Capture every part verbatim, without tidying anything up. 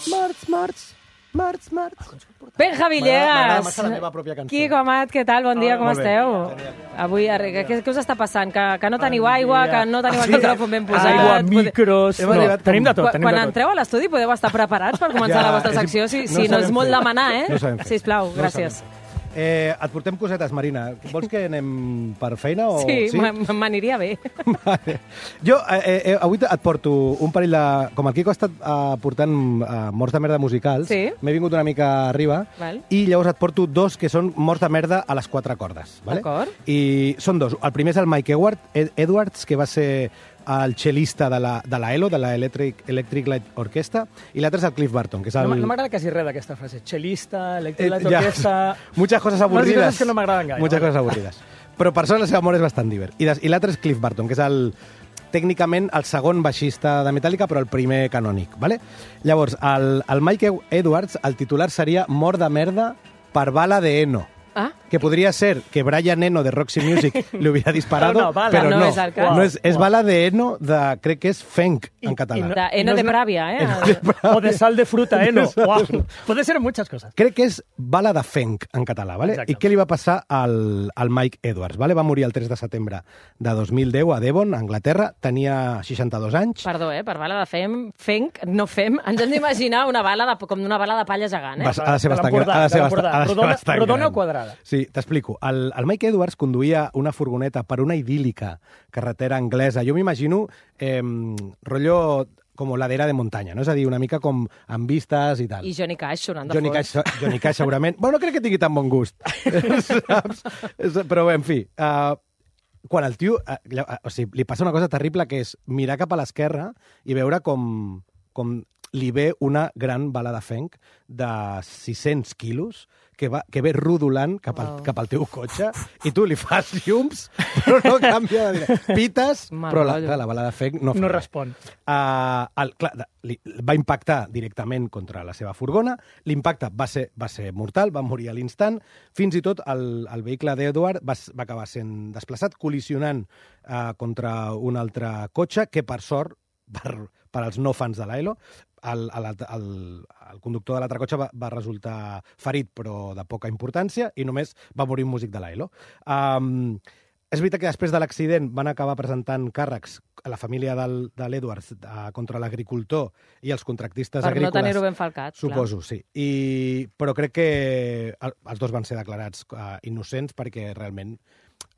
Març, març, març, març. Benja Villegas. M'agrada massa la meva pròpia cançó. Quico Amat, què tal? Bon dia, Ah, com molt bé. esteu? Genial. Avui, arre- què, què us està passant? Que, que no teniu Bon aigua, dia. que no teniu el micròfon ben posat? Aigua, Pode- micros... Hem No, arribat com- tenim de tot, Quan, tenim quan de tot. entreu a l'estudi podeu estar preparats per començar Ja, la vostra és- secció, si, no si no sabem és molt fer. demanar, eh? No sabem fer. Sisplau, No gràcies. sabem fer. Eh, et portem cosetes, Marina. Vols que anem per feina? O... Sí, me- m'aniria bé. Vale. Jo eh, eh, avui et porto un parell de... Com el Quico ha estat eh, portant eh, morts de merda musicals, Sí. m'he vingut una mica arriba, Val. i llavors et porto dos que són morts de merda a les quatre cordes. Vale? D'acord. I són dos. El primer és el Mike Edward, Ed Edwards, que va ser el cel·lista de la, de la E L O, de la Electric, Electric Light Orchestra, i l'altre és el Cliff Burton, que és el... No, m- no m'agrada quasi res d'aquesta frase. Chelista, Eh, electric, ja. orquestra... Muchas cosas Moltes aburrides. coses que no m'agraden gaire. Muchas vale. coses avorrides. Però per sort la seva mort és bastant divert. I, des, i l'altre és Cliff Burton, que és el tècnicament el segon baixista de Metallica, però el primer canònic. Vale? Llavors, el, el Mike Edwards, el titular seria Mort de merda per bala de Eno. Ah, Que podria ser que Brian Eno de Roxy Music li hubiera disparado, Però no, bala. però No no. és el cas. no és, és Uau. bala de Eno de, crec que és Fenc, en I- català. i no- de Eno no de és la- Pravia, eh? O de sal de fruta, eh? No. Wow. Puede ser muchas cosas. Crec que és bala de Fenc, en català, vale? Exacte. I què li va passar al, al Mike Edwards? Vale? Va morir el tres de setembre de dos mil deu a Devon, a Anglaterra. Tenia seixanta-dos anys. Perdó, eh? Per bala de fem, fenc, no fem. Ens hem d'imaginar una bala de, com una bala de palla gegant, eh? Va- ha de ser De bastant l'Empordà, gran. Ha de ser de bastant, l'Empordà. ha de ser Rodona- bastant rodona gran. o quadrada? Sí, t'explico. El, el Mike Edwards conduïa una furgoneta per una idíl·lica carretera anglesa. Jo m'imagino eh, rotllo com ladera de muntanya, no? És a dir, una mica com amb vistes i tal. I Johnny Cash sonant de Johnny fons. Cash, Johnny Cash segurament. Bueno, no crec que tingui tan bon gust. Saps? És- Però bé, en fi... Uh, quan el tio... Uh, lla- o sigui, li passa una cosa terrible, que és mirar cap a l'esquerra i veure com, com li ve una gran bala de fenc de sis-cents quilos que, va, que ve rodolant cap al, Wow. cap al teu cotxe i tu li fas llums, però no canvia de dir. Pites, Mal però la, rotllo. clar, la bala de fenc no fa No res. respon. Uh, el, clar, de- li, va impactar directament contra la seva furgona, l'impacte va ser, va ser mortal, va morir a l'instant, fins i tot el, el vehicle d'Edward va, s- va acabar sent desplaçat, col·lisionant uh, contra un altre cotxe, que per sort, per, per als no fans de l'A E L O, el, el, el, el conductor de l'altre cotxe va, va resultar ferit, però de poca importància, i només va morir un músic de l'A E L O. Um, és veritat que després de l'accident van acabar presentant càrrecs a la família del, de l'Edwards uh, contra l'agricultor i els contractistes Per no agrícoles. tenir-ho ben falcat. Suposo, sí. I, però crec que el, els dos van ser declarats uh, innocents perquè realment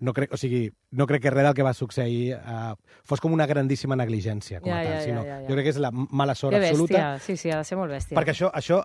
no crec, o sigui, no crec que res del que va succeir uh, fos com una grandíssima negligència, com Ja, a tal, ja, sinó ja, ja, ja. jo crec que és la mala sort Que absoluta. bèstia. Sí, sí, ha de ser molt bèstia. Perquè això, això,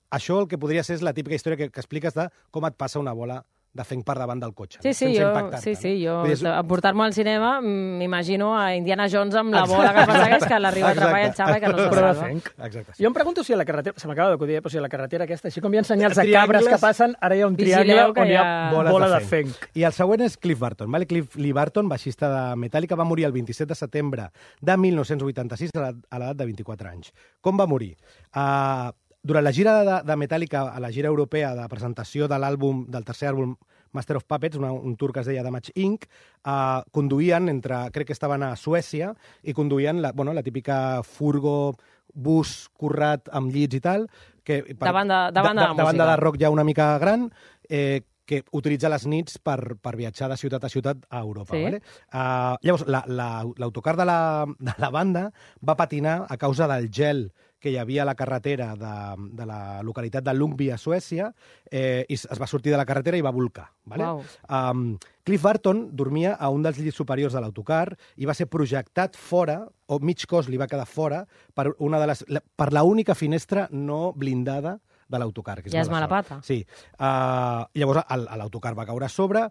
això el que podria ser és la típica història que, que expliques de com et passa una bola de fenc per davant del cotxe. Sí, no? sí, Sense jo, impactar-te, sí, sí, jo Vull dir, és- a portar-me al cinema mm, m'imagino a Indiana Jones amb la bola que persegueix, que l'arriba a atrapar i el xava i que no se Però de salva. fenc. Exacte. Jo em pregunto si a la carretera, se m'acaba d'acudir, eh, però si a la carretera aquesta, així com hi ha senyals de Triangles. cabres que passen, ara hi ha un Vigileu triangle que on hi ha hi ha bola, boles de de fenc. I el següent és Cliff Burton. Vale? Cliff Lee Burton, baixista de Metallica, va morir el vint-i-set de setembre de mil nou-cents vuitanta-sis a l'edat- a l'edat de vint-i-quatre anys. Com va morir? Uh, durant la gira de, de Metallica, a la gira europea de presentació de l'àlbum, del tercer àlbum Master of Puppets, una, un tour que es deia Damage incorporated, uh, conduïen entre, crec que estaven a Suècia, i conduïen la, bueno, la típica furgo, bus currat amb llits i tal, que per, De banda- de banda de de, de, banda música. de rock ja una mica gran, eh, que utilitza les nits per, per viatjar de ciutat a ciutat a Europa. Sí. Vale? Uh, llavors, la- la- l'autocar la, de, la, de la banda va patinar a causa del gel que hi havia a la carretera de, de la localitat de Ljungby a Suècia, eh, i es es va sortir de la carretera i va volcar. Vale? Uau. Um, Cliff Burton dormia a un dels llits superiors de l'autocar i va ser projectat fora, o mig cos li va quedar fora, per una de les, la, per la única finestra no blindada de l'autocar. Que és Ja és mala mala sort. pata. Sí. Uh, llavors el- l'autocar va caure a sobre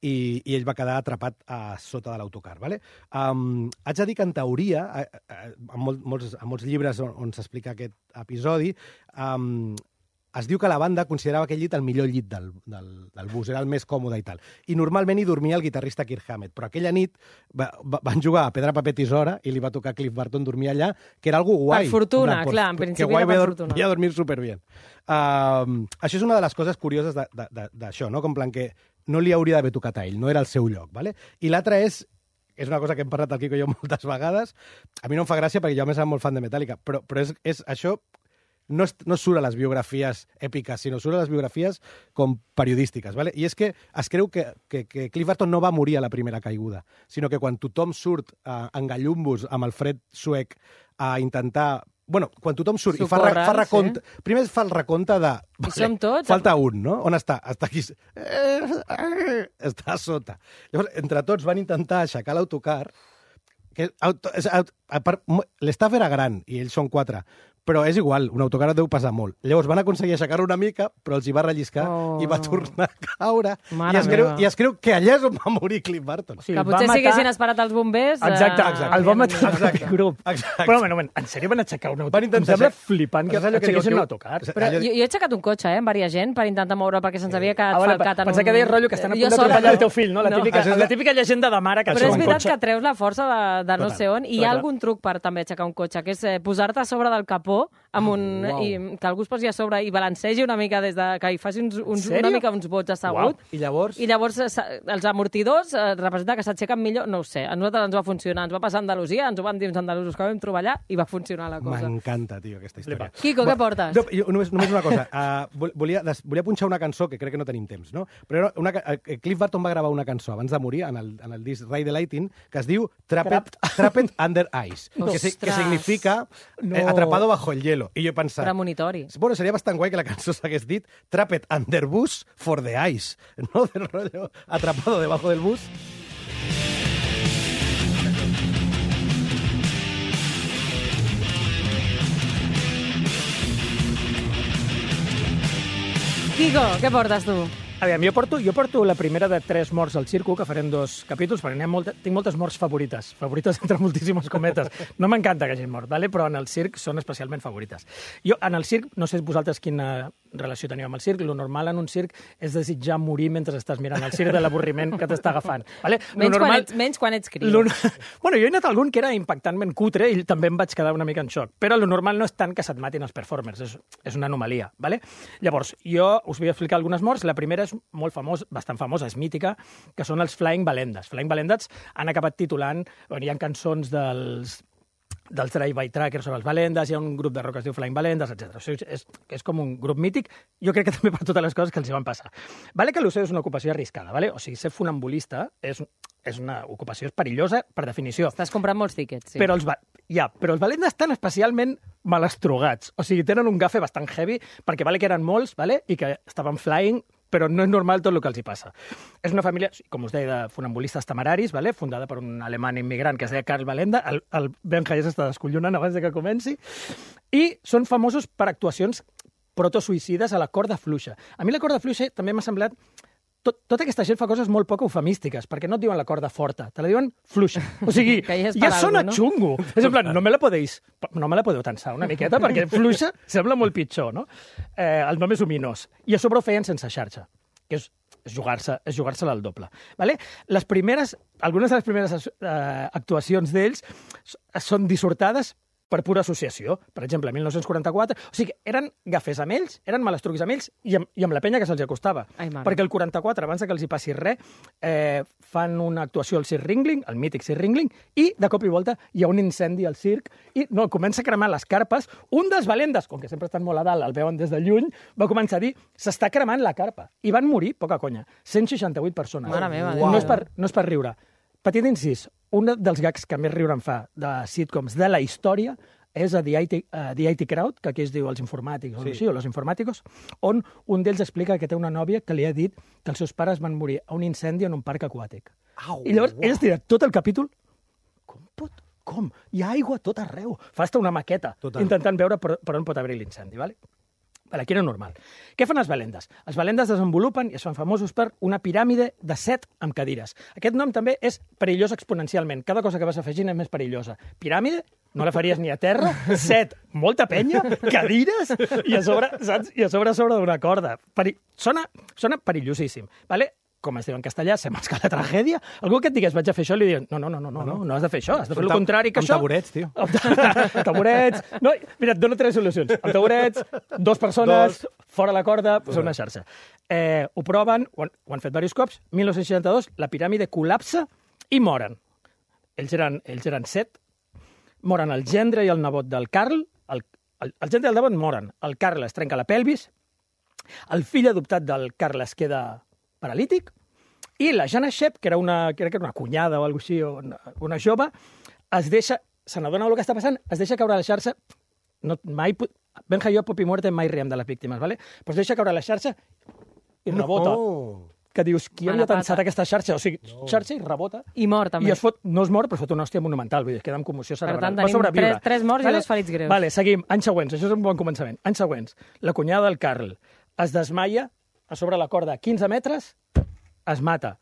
i, i ell va quedar atrapat a sota de l'autocar. Vale? Um, haig de dir que, en teoria, eh, eh, en, mol, molts, en molts llibres on, on s'explica aquest episodi, um, es diu que la banda considerava aquell llit el millor llit del, del, del bus, era el més còmode i tal. I normalment hi dormia el guitarrista Kirk Hammett, però aquella nit va, va, van jugar a pedra, paper, tisora i li va tocar a Cliff Burton dormir allà, que era algo guai. Per fortuna, En plan, clar, en que principi guai, era per voy a dor- fortuna. voy a dormir superbien. Uh, això és una de les coses curioses de- de- de- d'això, no? Com en plan que no li hauria d'haver tocat a ell, no era el seu lloc. Vale? I l'altra és, és una cosa que hem parlat el Quico i jo moltes vegades, a mi no em fa gràcia perquè jo a més soc molt fan de Metallica, però, però és, és això no, es, no surt a les biografies èpiques, sinó surt a les biografies com periodístiques. ¿vale? I és que es creu que, que, que Cliff Burton no va morir a la primera caiguda, sinó que quan tothom surt uh, en gallumbos amb el fred suec a intentar... Bueno, quan tothom surt i fa, fa recompte... Sí. Primer fa el recompte de... Vale, I som tots? Falta un, no? On està? Està aquí... Està a sota. Llavors, entre tots van intentar aixecar l'autocar, que l'estaf era gran i ells són quatre, però és igual, un autocar deu pesar molt. Llavors van aconseguir aixecar-ho una mica, però els hi va relliscar oh. i va tornar a caure. I es, creu, I es creu que allà és on va morir Cliff Burton. O sigui, que potser matar... si haguessin esperat els bombers... Exacte, eh... exacte. El van matar exacte. grup. Exacte. Però, un moment, en sèrio van aixecar un autocar? Em sembla flipant que aixequessin un autocar. Però jo, jo he aixecat un cotxe, eh, amb varia gent, per intentar moure perquè se'ns havia quedat ah, falcat en un... Pensava que deies rotllo que estan a punt d'atropellar el teu fill, no? La típica, no. la típica llegenda de mare que però és veritat que treus la força de, de no sé on, i hi ha algun truc per també aixecar un cotxe, que és posar-te a sobre del capó amb un... Wow. I que algú es posi a sobre i balancegi una mica des de... que hi faci uns, uns, una mica uns vots assegut. Wow. I llavors? I llavors els amortidors eh, representa que s'aixequen millor, no ho sé, a nosaltres ens va funcionar, ens va passar a Andalusia, ens ho van dir uns andalusos que vam trobar allà i va funcionar la cosa. M'encanta, tio, aquesta història. Quico, què portes? No, jo, només, només una cosa, uh, volia, des, volia punxar una cançó, que crec que no tenim temps, no? Però una, uh, Cliff Burton va gravar una cançó abans de morir en el, en el disc Ride the Lightning, que es diu Trapped, Trapped Under Ice, que, que significa no. eh, atrapado bajo el hielo. I jo he pensat... Premonitori. Bueno, seria bastant guai que la cançó s'hagués dit Trapped under bus for the ice, no? Del rollo atrapado debajo del bus. Quico, què portes tu? Aviam, jo porto, jo porto la primera de tres morts al circo, que farem dos capítols, perquè molta, tinc moltes morts favorites, favorites entre moltíssimes cometes. No m'encanta que hagin mort, ¿vale? Però en el circ són especialment favorites. Jo, en el circ, no sé vosaltres quina relació teniu amb el circ, lo normal en un circ és desitjar morir mentre estàs mirant el circ de l'avorriment que t'està agafant. ¿Vale? Menys, normal, quan ets, menys quan ets criu. Lo, bueno, jo he anat a algun que era impactantment cutre i també em vaig quedar una mica en xoc, però lo normal no és tant que se't matin els performers, és, és una anomalia. ¿Vale? Llavors, jo us vull explicar algunes morts. La primera és molt famós, bastant famosa, és mítica, que són els Flying Valendas. Flying Valendas han acabat titulant, bueno, hi ha cançons dels dels Drive-By Truckers sobre els Valendas, hi ha un grup de rock que es diu Flying Valendas, etcètera. O sigui, és, és com un grup mític, jo crec que també per totes les coses que els hi van passar. Vale que l'O C és una ocupació arriscada, vale? O sigui, ser funambulista és, és una ocupació perillosa per definició. Estàs comprant molts tíquets, sí. Però els, ja, però els Valendas estan especialment malastrogats. O sigui, tenen un gafe bastant heavy, perquè vale que eren molts, vale? I que estaven flying, però no és normal tot el que els hi passa. És una família, com us deia, de funambulistes temeraris, vale? Fundada per un alemany immigrant que es deia Karl Valenda. El, el Benja ja s'està descollonant abans de que comenci. I són famosos per actuacions protosuïcides a la corda fluixa. A mi la corda fluixa també m'ha semblat... Tot, tota aquesta gent fa coses molt poc eufemístiques, perquè no et diuen la corda forta, te la diuen fluixa. O sigui, ja sona algo, no? Xungo. És en plan, no me la podeu, no me la podeu tensar una miqueta, perquè fluixa sembla molt pitjor, no? Eh, el nom és ominós. I a sobre ho feien sense xarxa, que és és jugar-se és jugar-se al doble. Vale? Les primeres, algunes de les primeres eh, actuacions d'ells són dissortades per pura associació. Per exemple, mil nou-cents quaranta-quatre... O sigui, eren gafers amb ells, eren malastrucs amb ells i amb, i amb la penya que se'ls acostava. Ai, perquè el quaranta-quatre, abans que els hi passi res, eh, fan una actuació al Circ Ringling, el mític Circ Ringling, i de cop i volta hi ha un incendi al circ i no, comença a cremar les carpes. Un dels Valendas, com que sempre estan molt a dalt, el veuen des de lluny, va començar a dir s'està cremant la carpa. I van morir, poca conya, cent seixanta-vuit persones. Mare meva, no, és per, no és per riure. Petit incís, un dels gags que més riure em fa de sitcoms de la història és a The I T, uh, The I T Crowd, que aquí es diu els informàtics, sí. o, així, o los informàticos, on un d'ells explica que té una nòvia que li ha dit que els seus pares van morir a un incendi en un parc aquàtic. Au, I llavors wow. ell es tira tot el capítol. Com pot? Com? Hi ha aigua a tot arreu. Fa hasta una maqueta, Total. intentant veure per, per on pot haver l'incendi, ¿vale? Vale, aquí era normal. Què fan els Valendas? Els Valendas desenvolupen i es fan famosos per una piràmide de set amb cadires. Aquest nom també és perillós exponencialment. Cada cosa que vas afegint és més perillosa. Piràmide, no la faries ni a terra. Set, molta penya, cadires, i a sobre, saps? I a sobre a sobre d'una corda. Peri... Sona, sona perillosíssim. Vale? Com es diu en castellà, se m'esca la tragèdia. Algú que et digués, vaig a fer això, li diuen, no, no, no, no, no, no has de fer això, has de fer el contrari que això. Amb taburets, tio. Amb taburets. No, mira, et dono tres solucions. Amb taburets, dos persones, dos. Fora la corda, pues una xarxa. Eh, ho proven, ho han, ho han fet diversos cops, mil nou-cents seixanta-dos, la piràmide col·lapsa i moren. Ells eren, ells eren set, moren el gendre i el nebot del Carl, el, el, el gent del Devon moren. El Carl es trenca la pelvis, el fill adoptat del Carl es queda paralític, i la Jana Shep, que era una, que era una cunyada o alguna així, o una, una jove, es deixa, se n'adona del que està passant, es deixa caure a la xarxa, no, mai, Benja i jo, Pop i Muerte, mai riem de les víctimes, ¿vale? Pues deixa caure a la xarxa i rebota. No. Que dius, qui havia tensat aquesta xarxa? O sigui, no. xarxa i rebota. I mor, també. I es fot, no es mor, però es fot una hòstia monumental, vull dir, es queda amb commoció cerebral. Per tant, tenim tres, tres morts vale? I dos ferits greus. Vale, seguim. Anys següents, això és un bon començament. Anys següents. La cunyada del Carl es desmaia a sobre la corda quinze metres, es mata.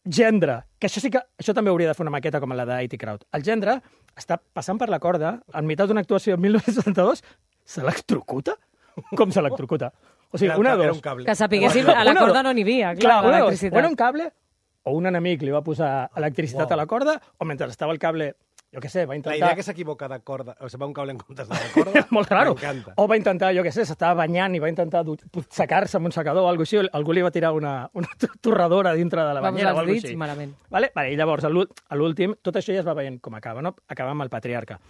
Gendre, que això sí que... Això també hauria de fer una maqueta com la d'A T Crowd. El gendre està passant per la corda, enmig d'una actuació en mil nou-cents setanta-dos, s'electrocuta? Com s'electrocuta? O sigui, una de dos. Que sapiguéssim, a la corda no n'hi havia, clar, clar l'electricitat. O era un cable, o un enemic li va posar electricitat wow. a la corda, o mentre estava el cable, jo què sé, va intentar... La idea que s'equivoca de corda, o sigui, va un cable en comptes de la corda, molt raro. M'encanta. O va intentar, jo què sé, s'estava banyant i va intentar secar-se amb un secador o alguna cosa així, algú li va tirar una, una torradora dintre de la banyera o alguna cosa així. Malament. Vale? Vale, i llavors, a l'últim, tot això ja es va veient com acaba, no? Acaba amb el patriarca.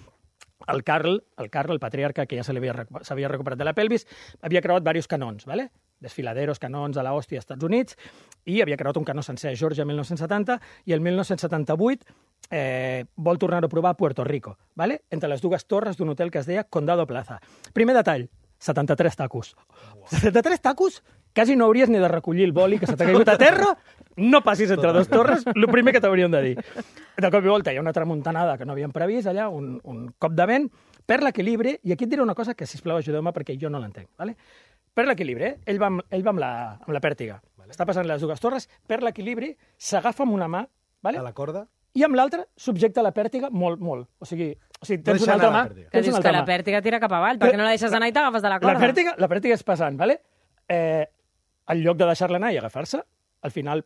El Carl, el Carl, el patriarca, que ja s'havia recuperat de la pelvis, havia creuat diversos canons, ¿vale? Desfiladeros, canons a l'hòstia als Estats Units, i havia creuat un canó sencer a Georgia el mil nou-cents setanta, i el mil nou-cents setanta-vuit eh, vol tornar-ho a provar a Puerto Rico, ¿vale? Entre les dues torres d'un hotel que es deia Condado Plaza. Primer detall, setanta-tres tacos. Wow. setanta-tres tacos? Quasi no hauries ni de recollir el boli que se t'ha caigut a terra, no passis entre dues torres, el primer que t'hauríem de dir. De cop i volta hi ha una tramuntanada que no havíem previst allà, un, un cop de vent, perd l'equilibri, i aquí et diré una cosa que, sisplau, ajudeu-me perquè jo no l'entenc, ¿vale? Perd l'equilibri, eh? ell va, amb, ell va amb, la, amb la pèrtiga, vale. Està passant les dues torres, perd l'equilibri, s'agafa amb una mà, ¿vale? A la corda, i amb l'altra subjecta la pèrtiga molt, molt. O sigui, o sigui tens no una altra mà... Que dius que la pèrtiga tira cap avall, perquè no la deixes anar i t'agafes de la corda. La pèrtiga, la pèrtiga és pesant, ¿vale? Eh, en lloc de deixar-la anar i agafar-se, al final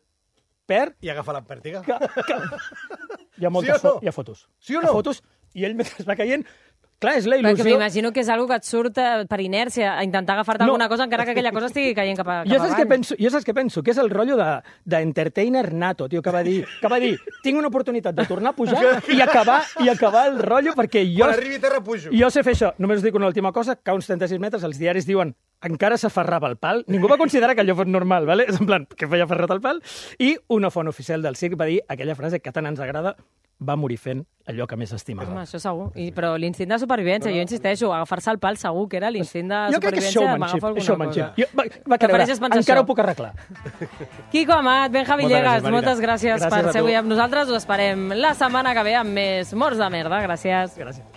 perd... I agafa la pèrtiga. Que, que... Hi ha moltes sí no? fo hi ha fotos. Sí o Hi no? ha fotos, i ell mentre es va caient... Clar, és la il·lusió... Perquè m'imagino que és algo que et surt per inèrcia, a intentar agafar-te no. alguna cosa encara que aquella cosa estigui caient cap, a, cap jo saps avall. Què penso, jo saps què penso? Que és el rotllo d'entertainer de, nato, tio, que va dir, que va dir, tinc una oportunitat de tornar a pujar i acabar, i acabar el rotllo perquè jo... Quan arribi a terra pujo. Jo sé fer això. Només us dic una última cosa, que a uns trenta-sis metres els diaris diuen encara s'aferrava al pal. Ningú va considerar que allò fos normal, ¿vale? És en plan, que feia aferrat al pal. I una font oficial del circ va dir aquella frase que tant ens agrada, va morir fent allò que més estimava. Home, això segur. I, però l'instint de supervivència, jo insisteixo, agafar-se al pal segur que era l'instint de jo supervivència d'agafar alguna cosa. Jo, va, va creure, encara això. Ho puc arreglar. Quico Amat, Benja Villegas, gràcies, moltes gràcies, gràcies per ser avui amb nosaltres. Us esperem la setmana que ve amb més Morts de Merda. Gràcies. Gràcies.